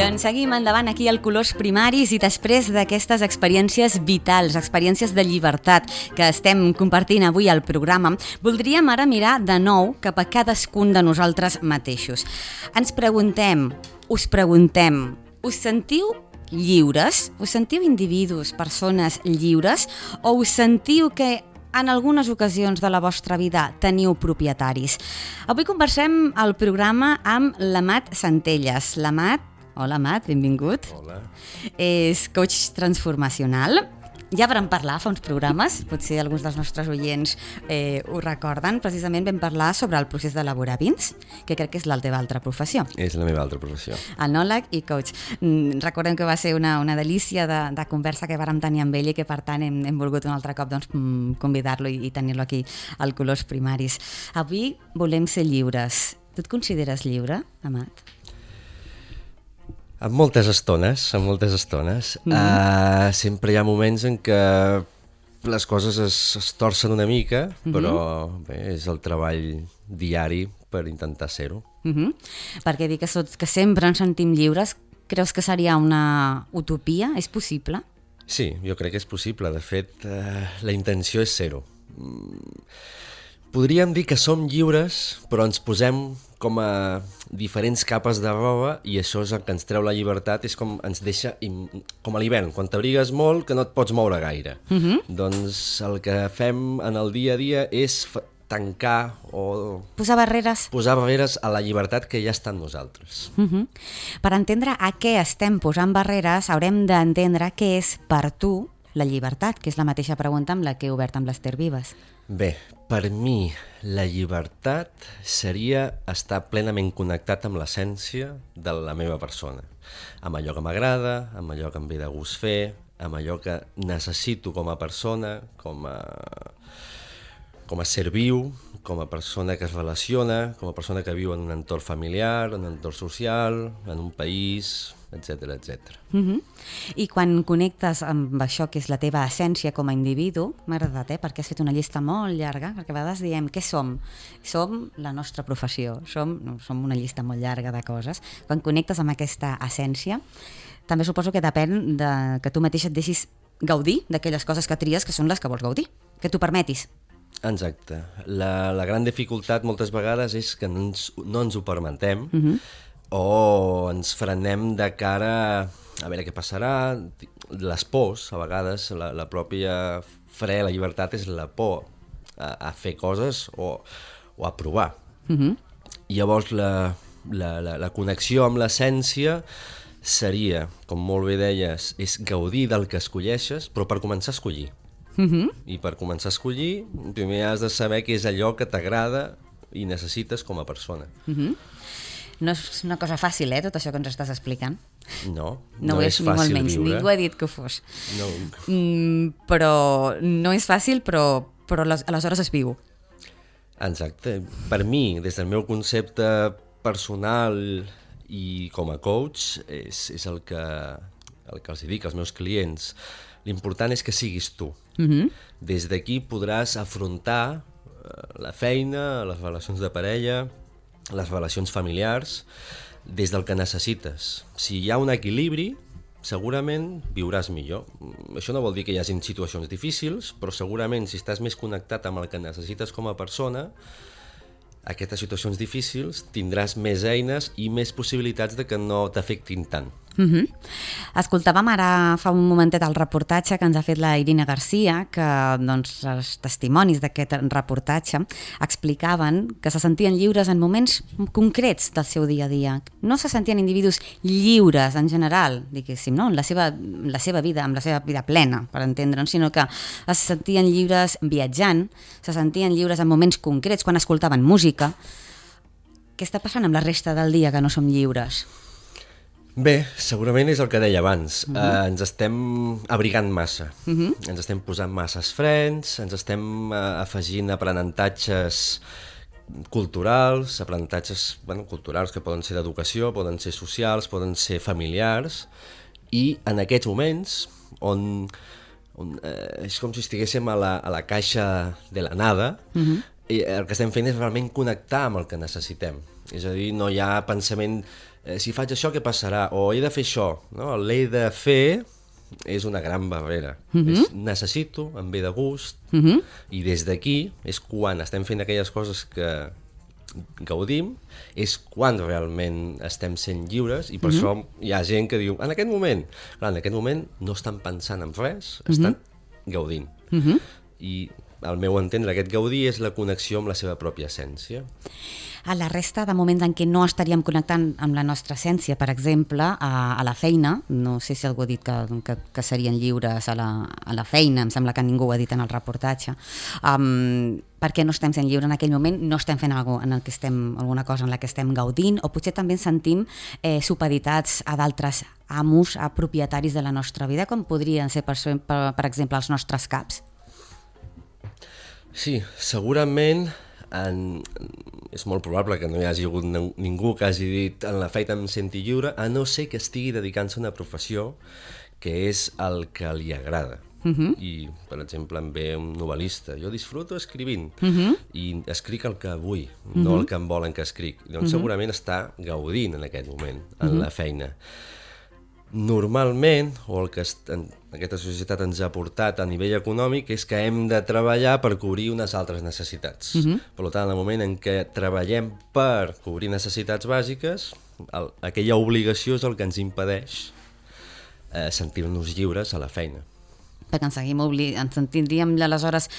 Doncs seguim endavant aquí al Colors Primaris i després d'aquestes experiències vitals, experiències de llibertat que estem compartint avui al programa, voldríem ara mirar de nou cap a cadascun de nosaltres mateixos. Ens preguntem, us sentiu lliures? Us sentiu individus, persones lliures? O us sentiu que en algunes ocasions de la vostra vida teniu propietaris? Avui conversem al programa amb l'Amat Centelles. L'Amat, hola Amat, benvingut. Hola. És coach transformacional. Ja vam parlar fa uns programes, potser alguns dels nostres oients ho recorden. Precisament vam parlar sobre el procés d'elaborar vins, que crec que és la teva altra professió. És la meva altra professió. Enòleg i coach. Recordem que va ser una delícia de conversa que vàrem tenir amb ell i que per tant hem volgut un altre cop convidar-lo i tenir-lo aquí al Colors Primaris. Avui volem ser lliures. Tu et consideres lliure, Amat? En moltes estones. Sempre hi ha moments en què les coses es torcen una mica, però bé, és el treball diari per intentar ser-ho. Perquè dir que sempre ens sentim lliures, creus que seria una utopia? És possible? Sí, jo crec que és possible. De fet, la intenció és ser-ho. Podríem dir que som lliures, però ens posem com a diferents capes de roba i això és el que ens treu la llibertat, és com ens deixa, com a l'hivern, quan t'abrigues molt que no et pots moure gaire. Doncs el que fem en el dia a dia és tancar o posar barreres a la llibertat que ja està en nosaltres. Per entendre a què estem posant barreres haurem d'entendre què és per tu la llibertat, que és la mateixa pregunta amb la que he obert amb l'Ester Vives. Bé, per mi la llibertat seria estar plenament connectat amb l'essència de la meva persona, amb allò que m'agrada, amb allò que em ve de gust fer, amb allò que necessito com a persona, com a ser viu, com a persona que es relaciona, com a persona que viu en un entorn familiar, en un entorn social, en un país, etc etc. I quan connectes amb això que és la teva essència com a individu, m'ha agradat, perquè has fet una llista molt llarga, perquè a vegades diem què som? Som la nostra professió, som una llista molt llarga de coses. Quan connectes amb aquesta essència, també suposo que depèn que tu mateix et deixis gaudir d'aquelles coses que tries que són les que vols gaudir, que t'ho permetis. Exacte. La gran dificultat moltes vegades és que no ens ho permetem, o ens frenem de cara a veure què passarà. Les pors, a vegades, la pròpia fre, la llibertat és la por a fer coses o a provar. Llavors la connexió amb l'essència seria, com molt bé deies, és gaudir del que escolleixes, però per començar a escollir. I per començar a escollir, primer has de saber què és allò que t'agrada i necessites com a persona. No és una cosa fàcil, tot això que ens estàs explicant. No és fàcil ni molt menys, viure. ningú ha dit que ho fos. No. Però no és fàcil, però aleshores es viu. Exacte. Per mi, des del meu concepte personal i com a coach, és el que els dic als meus clients. L'important és que siguis tu. Des d'aquí podràs afrontar la feina, les relacions de parella, les relacions familiars, des del que necessites. Si hi ha un equilibri, segurament viuràs millor. Això no vol dir que hi hagi situacions difícils, però segurament si estàs més connectat amb el que necessites com a persona, aquestes situacions difícils tindràs més eines i més possibilitats de que no t'afectin tant. Escoltàvem ara fa un momentet el reportatge que ens ha fet la Irina Garcia, que els testimonis d'aquest reportatge explicaven que se sentien lliures en moments concrets del seu dia a dia. No se sentien individus lliures en general, diguéssim, no? en la seva vida, amb la seva vida plena, per entendre'ns, sinó que es sentien lliures viatjant, se sentien lliures en moments concrets, quan escoltaven música. Què està passant amb la resta del dia que no som lliures? Bé, segurament és el que deia abans. Ens estem abrigant massa. Ens estem posant masses frens, ens estem afegint aprenentatges culturals, culturals que poden ser d'educació, poden ser socials, poden ser familiars, i en aquests moments on és com si estiguéssim a la caixa de la nada, i el que estem fent és realment connectar amb el que necessitem. És a dir, no hi ha pensament si faig això, què passarà? O he de fer això, no? L'he de fer és una gran barrera. Necessito, em ve de gust, i des d'aquí és quan estem fent aquelles coses que gaudim, és quan realment estem sent lliures, i per això hi ha gent que diu, en aquest moment no estan pensant en res, estan gaudint. I al meu entendre, aquest gaudir és la connexió amb la seva pròpia essència. A la resta de moments en què no estaríem connectant amb la nostra essència, per exemple, a la feina, no sé si algú ha dit que serien lliures a la feina, em sembla que ningú ho ha dit en el reportatge, per què no estem sent lliures en aquell moment? No estem fent alguna cosa en la que estem gaudint, o potser també ens sentim supeditats a d'altres amos, a propietaris de la nostra vida, com podrien ser, per exemple, els nostres caps? Sí, segurament és molt probable que no hi hagi hagut ningú que hagi dit en la feina em senti lliure, a no ser que estigui dedicant-se a una professió que és el que li agrada. I, per exemple, em ve un novel·lista, jo disfruto escrivint i escric el que vull, no el que em volen que escric. Doncs segurament està gaudint en aquest moment, en la feina. Normalment, o el que aquesta societat ens ha portat a nivell econòmic, és que hem de treballar per cobrir unes altres necessitats. Per tant, en el moment en què treballem per cobrir necessitats bàsiques, aquella obligació és el que ens impedeix sentir-nos lliures a la feina. Perquè ens sentiríem aleshores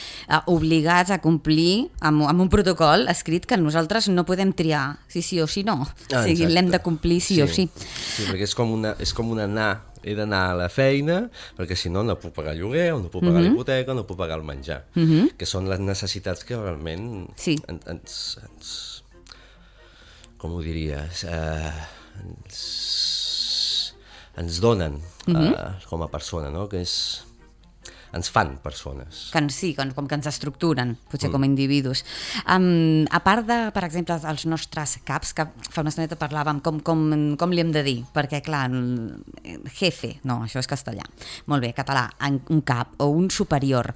obligats a complir amb un protocol escrit que nosaltres no podem triar si sí o si no. O sigui, l'hem de complir sí o sí. Sí, perquè és com un anar. He d'anar a la feina perquè si no puc pagar el lloguer, o no puc pagar l'hipoteca, o no puc pagar el menjar, que són les necessitats que realment ens com ho diries, ens donen com a persona, no? Que ens fan persones. Com que ens estructuren, potser com a individus. A part de, per exemple, els nostres caps, que fa una estoneta parlàvem com li hem de dir, perquè clar, jefe, no, això és castellà, molt bé, català, un cap o un superior.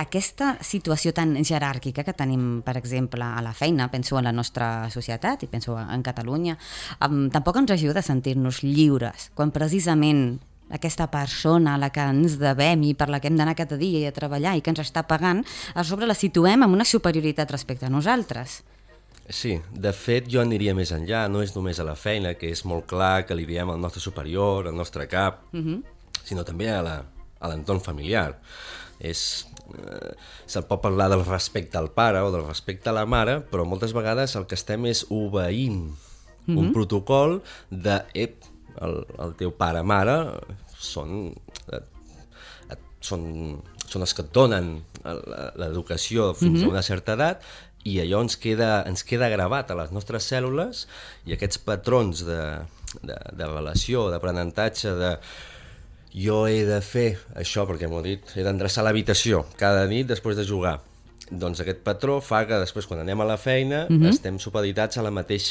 Aquesta situació tan jeràrquica que tenim, per exemple, a la feina, penso en la nostra societat i penso en Catalunya, tampoc ens ajuda a sentir-nos lliures, quan precisament aquesta persona a la que ens devem i per la que hem d'anar cada dia i a treballar i que ens està pagant, a sobre la situem amb una superioritat respecte a nosaltres. Sí, de fet jo aniria més enllà, no és només a la feina, que és molt clar que li diem al nostre superior, al nostre cap, sinó també a l'entorn familiar. Se'l pot parlar del respecte al pare o del respecte a la mare, però moltes vegades el que estem és obeint un protocol de el teu pare-mare són els que et donen l'educació fins a una certa edat, i allò ens queda gravat a les nostres cèl·lules, i aquests patrons de relació, d'aprenentatge, de jo he de fer això perquè m'ho ha dit, he d'endreçar l'habitació cada nit després de jugar. Doncs aquest patró fa que després, quan anem a la feina, estem supeditats al mateix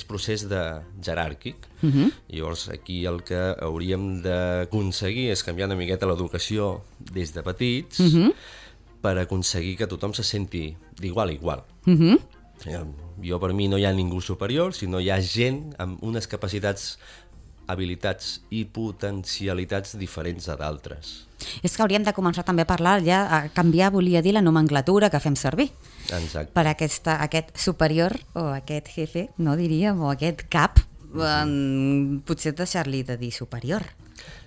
procés jeràrquic. Llavors, aquí el que hauríem d'aconseguir és canviar una miqueta l'educació des de petits per aconseguir que tothom se senti d'igual a igual. Jo, per mi, no hi ha ningú superior, sinó hi ha gent amb unes capacitats, habilitats i potencialitats diferents a d'altres. És que hauríem de començar també a parlar, ja a canviar, volia dir, la nomenclatura que fem servir. Exacte. Per aquest superior, o aquest jefe, no diríem, o aquest cap, potser deixar-li de dir superior.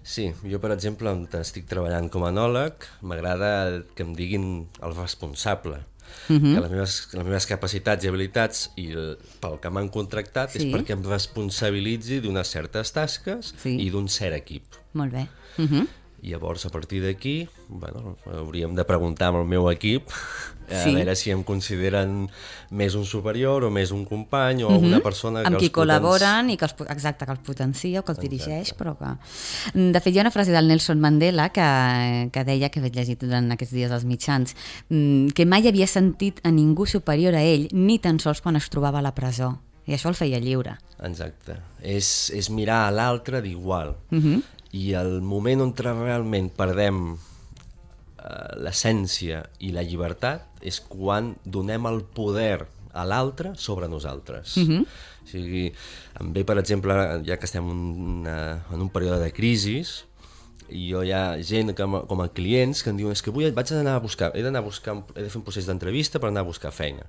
Sí, jo, per exemple, on estic treballant com a enòleg, m'agrada que em diguin el responsable, que les meves capacitats i habilitats i pel que m'han contractat és perquè em responsabilitzi d'unes certes tasques i d'un cert equip. Molt bé. I llavors, a partir d'aquí, hauríem de preguntar amb el meu equip a veure si em consideren més un superior o més un company o una persona que amb qui col·laboren i que els potencia o que els dirigeix, però que... De fet, hi ha una frase del Nelson Mandela que deia, que vaig llegir durant aquests dies als mitjans, que mai havia sentit a ningú superior a ell, ni tan sols quan es trobava a la presó. I això el feia lliure. Exacte. És mirar a l'altre d'igual. I el moment on realment perdem l'essència i la llibertat és quan donem el poder a l'altre sobre nosaltres. O sigui, em ve, per exemple, ja que estem en un període de crisi, i jo hi ha gent com a clients que em diuen que he de fer un procés d'entrevista per anar a buscar feina.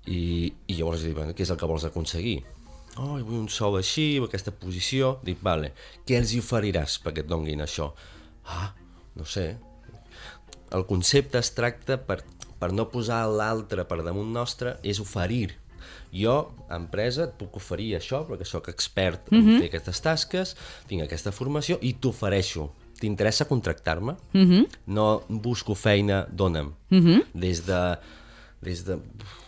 I llavors dic, què és el que vols aconseguir? Vull un sou així, aquesta posició. Dic, vale, què els hi oferiràs perquè et donguin això? No sé. El concepte es tracta per no posar l'altre per damunt nostre, és oferir. Jo, empresa, et puc oferir això, perquè sóc expert en fer aquestes tasques, tinc aquesta formació i t'ofereixo. T'interessa contractar-me? No busco feina, dona'm. Des de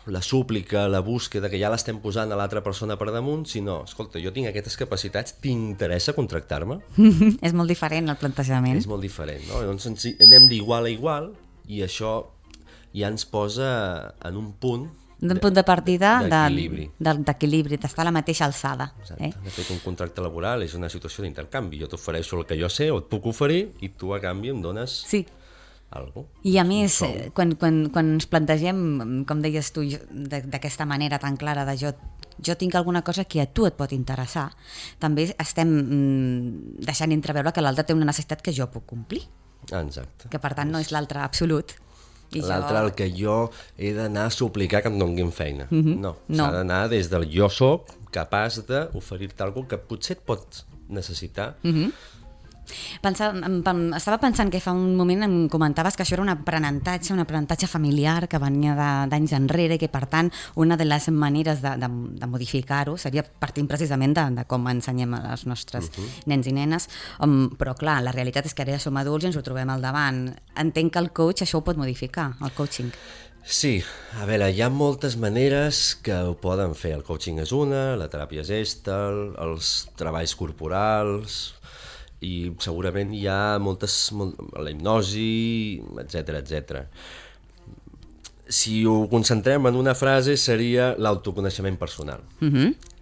la súplica, la búsqueda, que ja l'estem posant a l'altra persona per damunt, sinó, escolta, jo tinc aquestes capacitats, t'interessa contractar-me? És molt diferent el plantejament. És molt diferent, no? Llavors anem d'igual a igual i això ja ens posa en un punt d'un punt de partida d'equilibri, d'estar a la mateixa alçada. Exacte. De fet, un contracte laboral és una situació d'intercanvi. Jo t'ofereixo el que jo sé o et puc oferir i tu a canvi em dones alguna cosa. I a més, quan ens plantegem, com deies tu, d'aquesta manera tan clara de jo tinc alguna cosa que a tu et pot interessar, també estem deixant entreveure que l'altre té una necessitat que jo puc complir. Exacte. Que per tant no és l'altre absolut. L'altre el que jo he d'anar a suplicar que em donguin feina. No, s'ha d'anar des del jo soc capaç d'oferir-te alguna cosa que potser et pots necessitar. Estava pensant que fa un moment em comentaves que això era un aprenentatge familiar que venia d'anys enrere i que per tant una de les maneres de modificar-ho seria partint precisament de com ensenyem als nostres nens i nenes, però clar, la realitat és que ara ja som adults i ens ho trobem al davant. Entenc que el coach això ho pot modificar, el coaching. Sí, a veure, hi ha moltes maneres que ho poden fer. El coaching és una, la teràpia Gestalt, els treballs corporals, i segurament hi ha la hipnosi, etc. Si ho concentrem en una frase seria l'autoconeixement personal.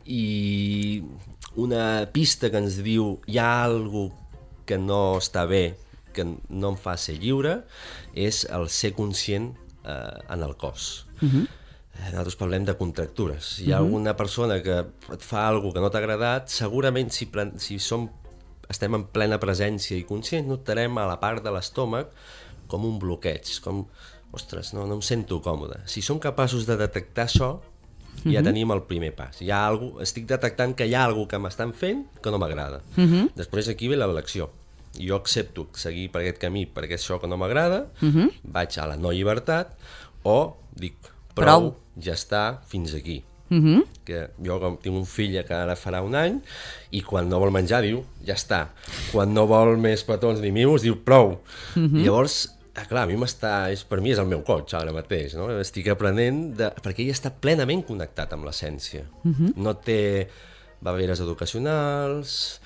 I una pista que ens diu hi ha alguna cosa que no està bé, que no em fa ser lliure, és el ser conscient en el cos. Nosaltres parlem de contractures. Si hi ha alguna persona que et fa alguna cosa que no t'ha agradat, segurament si estem en plena presència i conscients, notarem a la part de l'estómac com un bloqueig, com, ostres, no em sento còmode. Si som capaços de detectar això, ja tenim el primer pas. Estic detectant que hi ha alguna cosa que m'estan fent que no m'agrada. Després aquí ve l'elecció. Jo accepto seguir per aquest camí perquè això que no m'agrada, vaig a la no llibertat, o dic, prou, ja està, fins aquí. Que jo tinc un fill que ara farà un any i quan no vol menjar diu ja està, quan no vol més petons ni mimos diu prou. I llavors, clar, per mi és el meu coach ara mateix, no? Estic aprenent perquè ell està plenament connectat amb l'essència, no té barreres educacionals,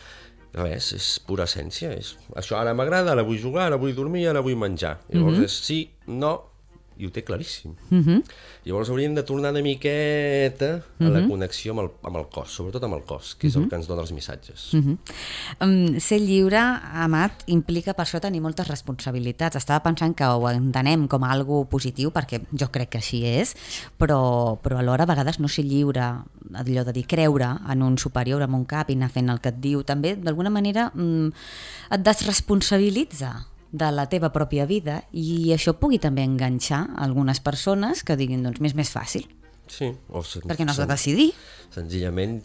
res, és pura essència, això ara m'agrada, ara vull jugar, ara vull dormir, ara vull menjar. Llavors és sí, no, i ho té claríssim. Llavors hauríem de tornar una miqueta a la connexió amb el cos, sobretot amb el cos, que és el que ens dona els missatges. Ser lliure, Amat, implica per això tenir moltes responsabilitats. Estava pensant que ho entenem com a algo positiu, perquè jo crec que així és, però alhora a vegades no ser lliure, allò de dir creure en un superior, en un cap i anar fent el que et diu, també d'alguna manera et desresponsabilitza de la teva pròpia vida i això pugui també enganxar algunes persones que diguin, doncs m'és més fàcil. Sí. Perquè no has de decidir. Senzillament,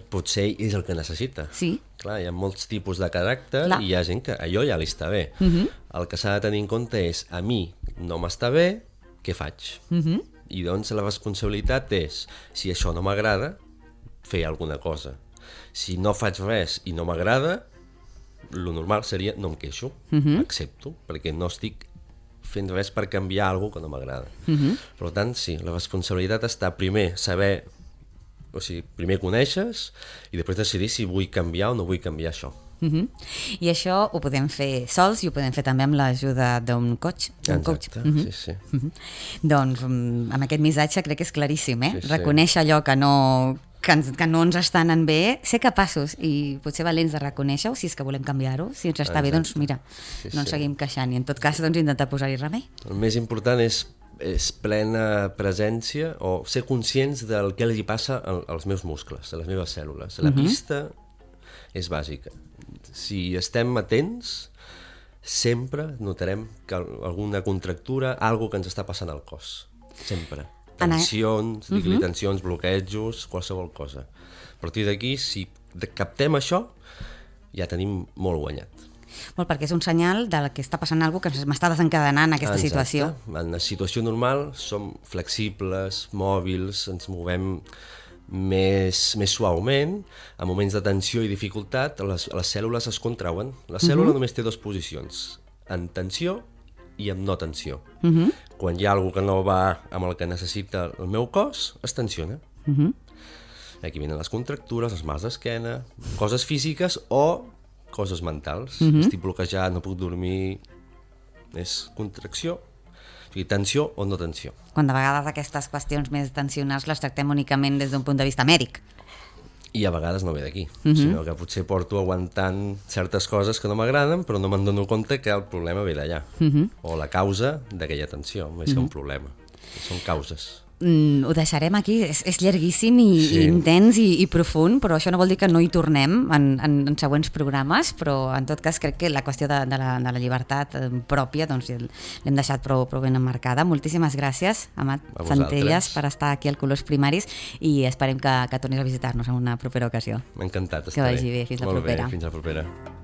potser és el que necessita. Sí. Clar, hi ha molts tipus de caràcter i hi ha gent que allò ja li està bé. El que s'ha de tenir en compte és, a mi no m'està bé, què faig? I doncs la responsabilitat és, si això no m'agrada, fer alguna cosa. Si no faig res i no m'agrada, lo normal seria no em queixo, accepto, perquè no estic fent res per canviar alguna cosa que no m'agrada. Per tant, sí, la responsabilitat està primer saber, o sigui, primer coneixes i després decidir si vull canviar o no vull canviar això. I això ho podem fer sols i ho podem fer també amb l'ajuda d'un coach. Exacte, sí. Doncs amb aquest missatge crec que és claríssim, reconèixer allò que no ens està anant bé, ser capaços i potser valents de reconèixer-ho si és que volem canviar-ho, si ens està bé, doncs mira, no ens seguim queixant i en tot cas doncs intentar posar-hi remei. El més important és és plena presència o ser conscients del que li passa als meus muscles, a les meves cèl·lules. La pista és bàsica. Si estem atents, sempre notarem que alguna contractura, alguna que ens està passant al cos. Sempre. Tensions, tensions, bloquejos, qualsevol cosa. A partir d'aquí, si captem això, ja tenim molt guanyat. Molt, perquè és un senyal de que està passant alguna cosa que m'està desencadenant aquesta situació. En la situació normal som flexibles, mòbils, ens movem més suaument. En moments de tensió i dificultat, les cèl·lules es contrauen. La cèl·lula només té dues posicions, en tensió i en no tensió. Quan hi ha alguna que no va amb el que necessita el meu cos, es tensiona. Aquí venen les contractures, els mals d'esquena, coses físiques o coses mentals. Estic bloquejat, no puc dormir. És contracció, o sigui, tensió o no tensió. Quan de vegades aquestes qüestions més tensionals les tractem únicament des d'un punt de vista mèdic. I a vegades no ve d'aquí, sinó que potser porto aguantant certes coses que no m'agraden, però no me'n dono compte que el problema ve d'allà. O la causa d'aquella tensió, més que un problema. Són causes. Ho deixarem aquí, és llarguíssim i intens i profund, però això no vol dir que no hi tornem en següents programes, però en tot cas crec que la qüestió de la llibertat pròpia doncs l'hem deixat prou ben emmarcada. Moltíssimes gràcies, Amat Centelles, per estar aquí al Colors Primaris i esperem que tornis a visitar-nos en una propera ocasió. M'ha encantat estar. Que vagi bé, fins la propera. Molt bé, fins la propera.